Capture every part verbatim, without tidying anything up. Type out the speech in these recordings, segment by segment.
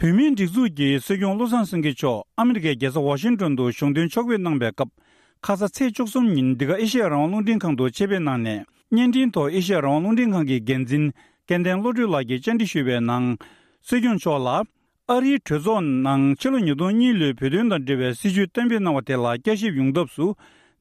བོད་མིའི་སྒྲིག་འཛུགས་ཀྱི་སྲིད་སྐྱོང་བློ་བཟང་སེང་གེ་མཆོག་ཨ་མི་རི་ཀའི་རྒྱལ་ས་ཝ་ཤིང་ཏོན་དུ་གཞུང་དོན་ཕྱོགས་ཕེབས་གནང་བའི་སྐབས། ཁ་ས་ཚེས་བཅུ་གསུམ་ཉིན་འདི་ག་ཨེ་ཤེ་ཡ་རང་དབང་རླུང་འཕྲིན་ཁང་དུ་ཆེད་ཕེབས་གནང་ནས། བརྙན་འཕྲིན་ཐོག་ཨེ་ཤེ་ཡ་རང་དབང་རླུང་འཕྲིན་ཁང་གི་འགན་འཛིན་སྐལ་ལྡན་བློ་གྲོས་ལགས་ཀྱིས་བཅར་འདྲི་ཞུས་པའི་ནང་། སྲིད་སྐྱོང་མཆོག་ལ། ཨ་རིའི་གྲོས་ཚོགས་ནང་ཕྱི་ལོ་ཉིས་སྟོང་གཉིས་ལོའི་བོད་དོན་དང་འབྲེལ་བའི་སྲིད་བྱུས་གཏན་འབེབས་གནང་བ་དེ་ལ་བསྐྱར་ཞིབ་ཡོང་ཐབས་སུ།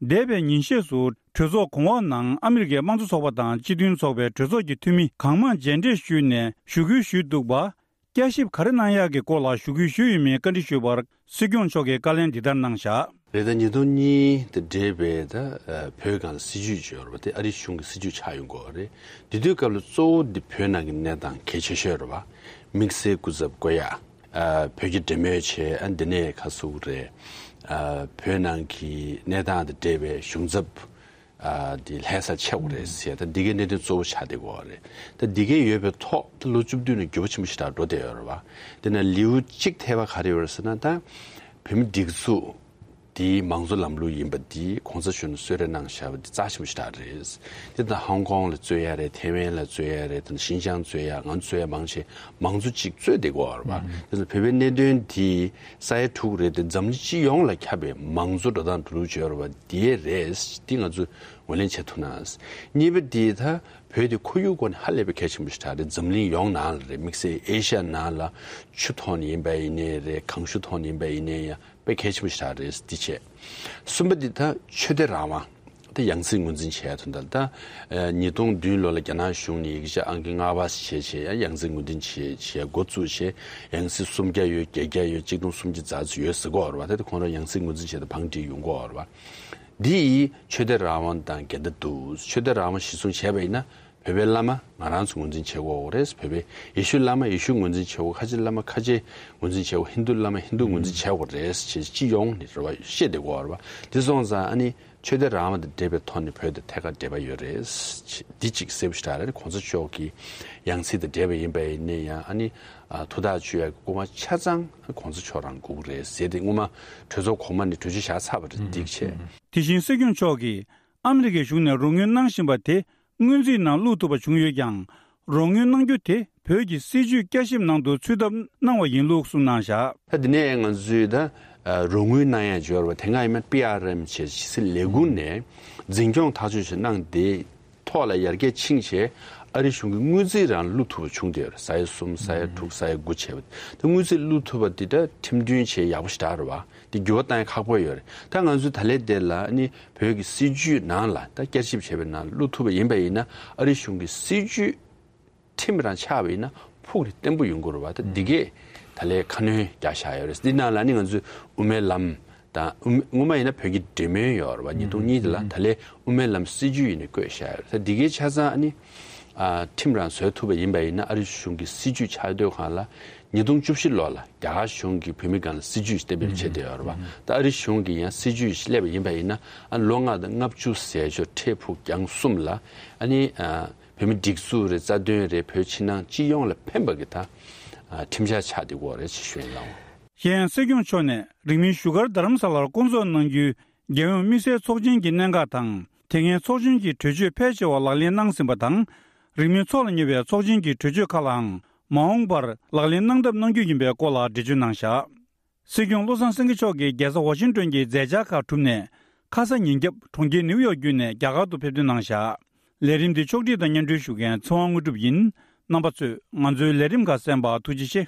འདས་པའི་ཉིན་ཤས་སུ་གྲོས་ཚོགས་གོང་འོག་ནང་ཨ་མི་རི་ཀའི་དམངས་གཙོ་ཚོགས་པ་དང་སྤྱི་མཐུན་ཚོགས་པའི་གྲོས་ཚོགས་ཀྱི་འཐུས་མི་གང་མང་མཇལ་འཕྲད་ཞུས་ནས་ཞུ་སྐུལ་ཞུས་འདུག་པ། བསྐྱར་ཞིབ་ག་རེ་གནང་ཡག་གི་སྐོར་ལ་ཞུ་སྐུལ་ཞུས་ཡོད་མེད་བཀའ་འདྲི་ཞུས་པར། སྲིད་སྐྱོང་མཆོག་གིས་བཀའ་ལན་འདི་ལྟར་གནང་བཞག་རེད། ད་ཉིས་སྟོང་གཉིས་དང་འབྲེལ་བའི་ད་ཨ་བོད་སྒང་ལ་སྲིད་བྱུས་ཅིག་ཡོད་རེད་པ། དེ་ཨ་རི་གཞུང་གི་སྲིད་བྱུས་ཆགས་ཡོང་གི་ཡོད་རེད། དེ་དུས་སྐབས་ལ་གཙོ་བོ་འདི་བོད་ནང་གི་གནས་སྟངས་གལ་ཆེ་ཤོས་རེད་པ། དམིགས་བསལ་སྐུ་ཚབ་བསྐོ་ཡག་ཨ་བོད་ཀྱི་འབྲེལ་མོལ་བྱས། ཨ་འདི་ནས་ཁ་ཟུག་རེད། ཨ་བོད་ནང་གི་གནས་སྟངས་དང་འབྲེལ་བའི་གཞུང་ཚབ་ཨ་འདི་ལྷ་སར་ཆགས་དགོས་རེད་ཟེར། ད་འདི་གའི་གནད་དོན་གཙོ་བོ་ཆགས་བསྡད་ཡོད་རེད། ད་འདི་གའི་ཡོད་པའི་ཐོག་ད་ལོ་བཅུ་བདུན་ནས་འགྱུར་བ་ཆེན་པོ་ཞིག་ད་འགྲོ་བསྡད་ཡོད་རེད་པ། དེ་ན་ལེའུ་གཅིག་ཐེ་བ་ག་རེ་ཡོད་རེད་ཟེར་ན། ད་བོད་མི་སྒྲིག་འཛུགས་འདིའི་མང་གཙོ་ལམ་ལུགས་ཡིན་པ་འདི་གོང་ས་མཆོག་ནས་གསོལ་རས་གནང་བཞག་པ་འདི་རྩ་ཆེན་པོ་ཞིག་ད་རེད། དེ་ད་ཧོང་ཀོང་ལ་རྩོད་ཡ་རེད། ཐེ་ཝན་ལ་རྩོད་ཡ་རེད། ད་ཤིན་ཅང་རྩོད་ཡ། ང་ཚོ་རྩོད་ཡ་མང་ཆེ་མང་གཙོ་གཅིག་རྩོད་བསྡད་ཡོད་རེད་པ། དེ་ཚོ་བོད་པའི་གནད་དོན་འདི་ས་ཡ་དྲུག་རེད། དེ་འཛམ་གླིང་སྤྱི་ཡོངས་ལ་ཁྱབ་པའི་མང་གཙོ་འགྲོ་སྟངས་འགྲོ་ལུགས་བྱས་ཡོད་རེད་པ། དེ་རེད། དེ་ང་ཚོས་ངོས་ལེན་བྱེད་ཐུབ་ན། གཉིས་པ་དེ་ད་བོད་དེ་ཁོར་ཡུག་སྐོར་ནས་ཧ་ལས་པའི་གལ་ཆེན་པོ་ཞིག་ད་རེད། འཛམ་གླིང་ཡོངས་ནང་ལ་རེད། དམིགས་བསལ་ཨེ་ཤ་ཡ་ནང་ལ་ཆུ་ཐོག་ནས་ཡིན་པ་ཡིན་ནའི་རེད། གངས་ཤུགས་ཐོག་ནས་ཡིན་པ་ཡིན་ནའི་ཡང་དཔེ་གལ་ཆེན་པོ་ཞིག་ད་རེད། འདི་བྱས། གསུམ་པ་འདི་ད་ཆོས་དད་རང་དབང་། ད་ཡང་སྲིད་ངོས་འཛིན་བྱས་དོན་དག་ད་ཉིས་སྟོང་བདུན་ལོ་ལ་རྒྱ་ནག་གཞུང་ནས་ཡིག་ཆ་ཨང་ཀི་ལྔ་པ་བྱས་བྱས་ཡང་ཡང་སྲིད་ངོས་འཛིན་བྱས་བྱས་འགོ་བཙུགས་བྱས། ཡང་སྲིད་སུམ་བརྒྱ་ཡོད། བརྒྱད་བརྒྱ་ཡོད། གཅིག་སྟོང་སུམ་བརྒྱ་ཙམ་ཡོད་ཟེར་གྱི་ཡོད་རེད་པ། ད་དེ་ཁོང་རང་ཡང་སྲིད་ངོས་འཛིན་བྱས་ཏེ་བང་སྒྲིག་ཡོང་གི་ཡོད་རེད་པ། འདི་ཡིས་ཆོས་དད་རང་དབང་དང་འགལ་ཟླ་འདུག་ཆོས་དད་རང་དབང་གཞིར་བཟུང་བྱས་པ་ཡིན་ན། བོད་པའི་བླ་མ་ང་རང་ཚོ་ངོས་འཛིན་བྱེད་དགོས་རེད། བོད་པའི་ཡེ་ཤུ་བླ་མ་ཡེ་ཤུ་ངོས་འཛིན་བྱེད་དགོས། ཁ་ཆེ་བླ་མ་ཁ་ཆེ་ངོས་འཛིན་བྱེད་དགོས། ཧིན་རྡུ་བླ་མ་ཧིན་རྡུ་ངོས་འཛིན་བྱེད་དགོས་རེད་ཅེས་སྤྱི་ཡོངས་ནས་རེ་བ་བཤད་བསྡད་ཡོད་རེད་པ། དེ་སོང་ཙང་ཨ་ནི་ཆོས་དད་རང་དབང་དང་འབྲེལ་བའི་ཐོག་ནས་བོད་དང་ཐད་ཀར་འབྲེལ་བ་ཡོད་རེད། འདི་གཅིག་གསལ་པོ་ཞེ་དྲག་རེད། གོང་ས་མཆོག་གི་ཡང་སྲིད་དང་འབྲེལ་བ་ཡིན་པ་ཡིན་ནའི་ཡང་ཨ་ནི་ཨ་ཐུགས་ཐག་གཅོད་ཡག་གི་སྐུལ་མ་ཆ་ཚང་གོང་ས་མཆོག་རང་དགོས་ཀྱི་རེད་ཟེར་ཏེ་སྔོན་མ་གྲོས་ཚོགས་གོང་མ་ནས་གྲོས་ཆོད་བཞག་ཚར་བ་རེད། འདི་བྱས། དེ་བཞིན་སྲིད་སྐྱོང་མཆོག་གིས་ཨ་མི་རི་ཀའི་གཞུང་ནས་རོགས་དངུལ་གནང་བཞིན་པ་དེ་སྔོན་རྩིས་ནང་བླུག་ཐུབ་པ་བྱུང་ཡོད་ཀྱང་། རོགས་དངུལ་གནང་རྒྱུ་དེ་བོད་ཀྱི་སྲིད་བྱུས་བསྐྱར་ཞིབ་ནང་དུ་ཚུད་ཐབས་གནང་བ་ཡིན་ལུགས་གསུངས་གནང་བཞག་ད་དེ་ནས་ང་ཚོས་ད་རོགས་དངུལ་གནང་ཡ་འབྱོར་བ་དེ་སྔ་ཡིན་ན་པི་ཨར་ཨེམ་བྱས་ཕྱི་སྲིད་ལས་ཁུངས་ནས་འཛིན་སྐྱོང་ཐག་གཅོད་བྱས་གནང་དེ་ཐོག་ལ་ཡར་རྒྱས་ཕྱིན་བྱས་ཨ་རི་གཞུང་གི་དངུལ་རྩིས་རང་བླུག་ཐུབ་པ་བྱུང་བསྡད་ཡོད་རེད། ས་ཡ་གསུམ་ས་ཡ་དྲུག་ས་ཡ་དགུ་བྱས་པ་དེ་དངུལ་རྩིས་བླུག་ཐུབ་པ་དེ་ད་ཁྲིམས་མཐུན་བྱས་ཡག་པོ་ཞེ་དྲག་རེད་པ། དེ་འགྱུར་བ་གཏང་ཡ་ཁག་པོ་ཡོད་རེད། ད་ང་ཚོས་ད་ལས་དེ་ལ་ནི་བོད་ཀྱི་སྲིད་བྱུས་ནང་ལ་ད་བསྐྱར་ཞིབ་བྱས་པའི་ནང་བླུག་ཐུབ་པ་ཡིན་པ་ཡིན་ན་ཨ་རི་གཞུང་གི་སྲིད་བྱུས་ཁྲིམས་རང་ཆགས་པ་ཡིན་ན་ཕུགས་ནས་བརྟན་པོ་ཡོང་གི་རེད་པ། ད་འདི་གས་ད་ལས་ཁ་སྣོན་རྒྱག་བཞག་ཡོད་རེད། འདི་ནང་ལ་ནི་ང་ཚོས་དབུ་མའི་ལམ་དང་དབུ་སྔོན་མ་ཡིན་ན་བོད་ཀྱི་འབྲེལ་མོལ་ཡོད་རེད་པ། ཉིས་སྟོང་གཉིས་དེ་ལ་ད་ལས་དབུ་མའི་ལམ་སྲིད་བྱུས་ཡིན་ནས་བཀོད་བཞག་ཡོད་རེད། ད་འདི་གས་ཆ་ཚང་ཨ་ནི་ཨ་ཁྲིམས་རང་བཟོ་ཐུབ་པ་ཡིན་པ་ཡིན་ན་ཨ་རི་གཞུང་གི་སྲིད་བྱུས་ཆགས་སྡོད་སྒང་ལ་ཉིས་སྟོང་བཅུ་བཞི་ལོ་ལ་རྒྱ་གར་གཞུང་གིས་བོད་མི་སྒང་ལ་སྲིད་བྱུས་ཤིག་གཏན་འབེབས་བྱས་བསྡད་ཡོད་རེད་པ། ད་ཨ་རི་གཞུང་གིས་ཡང་སྲིད་བྱུས་ཤིག་སླེབས་པ་ཡིན་པ་ཡིན་ན་ཨ་ལོ་ལྔ་དང་ལྔ་བཅུ་ཟེར་ཆོག་འཕྲལ་ཕུགས་རྒྱང་གསུམ་ལ་ཨ་ནི་ཨ་བོད་མི་སྒྲིག་འཛུགས་རེད། རྩ་དོན་རེད། བོད་ཕྱི་ནང་སྤྱི་ཡོངས་ལ་ཕན་པ་གི་ད་ཨ་ཁྲིམས་འཆར་ཆགས་བསྡད་ཡོད་རེད་ཅེས་ཞུ་ཡིན་ལགས། གཞན་སྲིད་སྐྱོང་མཆོག་ནས་རིང་མིན་བཞུགས་སྒར་རྡ་རམ་ས་ལར་བསྐོང་ཚོགས་གནང་རྒྱུའི་རྒྱལ་ཡོངས་དམིགས་བསལ་ཚོགས་ཆེན་གྱི་གནད་འགག་དང་། དེ་སྔའི་ཚོགས་ཆེན་གྱི་གྲོས་ཆོད་ཕལ་ཆེ་བ་ལག་ལེན་གནང་ཟིན་པ་དང་། རིང་མིན་འཚོགས་ལ་ཉེ་བའི་ཚོགས་ཆེན་གྱི་གྲོས་ཆོད་ཁག་ལའང་མ་འོངས་པར་ལག་ལེན་གནང་ཐབས་གནང་རྒྱུ་ཡིན་པའི་སྐོར་ལ་འགྲེལ་བརྗོད་གནང་བཞག་སྲིད་སྐྱོང་བློ་བཟང་སེང་གེ་མཆོག་གིས་རྒྱལ་ས་ཝ་ཤིང་ཏོན་གྱི་མཛད་འཆར་ཁག་གྲུབ་ནས། ཁ་ས་ཉིན་རྒྱབ་གྲོང་ཁྱེར་ནིའུ་ཡོག་བརྒྱུད་ནས་རྒྱ་གར་དུ་ཕེབས་ཐོན་གནང་བཞག་ལས་རིམ་འདི་ཕྱོགས་སྒྲིག་དང་སྙན་སྒྲོན་ཞུ་མཁན་ཚེ་དབང་དངོས་གྲུབ་ཡིན། རྣམ་པ་ཚོས་ང་ཚོའི་ལས་རིམ་ཁག་གསན་པར་ཐུགས་རྗེ་ཆེ།